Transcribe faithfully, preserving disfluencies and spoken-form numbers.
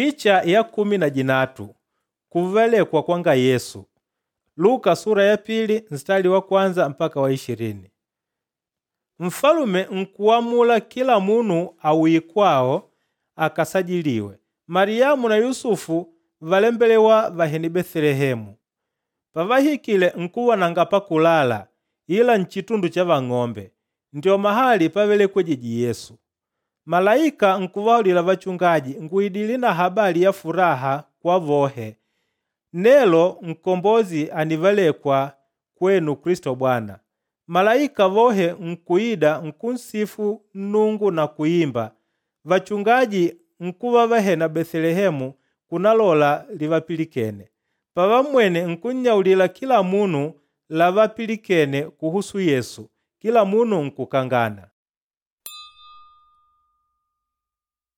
Picha ya kumi na jinatu kuvelekwa kwanga Yesu. Luka sura ya pili nstari wa kwanza mpaka wa ishirini. Mfalume nkuamula kila munu auye kwawo akasajiliwe. Mariamu na Yusufu valembelewa vahene Betelehemu. Pavahikile nkuva nanga pakulala ila nchitundu cha vang'ombe, ndio mahali pavelekwejije Yesu. Malaika nkuvahaulila vachungaji, “Ngùidile na habali ya furaha kwa vohe. Nelo Nkombozi ànivalekwa kwenu Kilisto Bwana.” Malaika vohe nkuida nkunsifu Nnungu na kuimba. Vachungaji nkuva vahena Betelehemu kunalola livapilikene. Pavammwene nkunnyaulila kila munu lavapilikene kuhusu Yesu, kila munu nkukangana.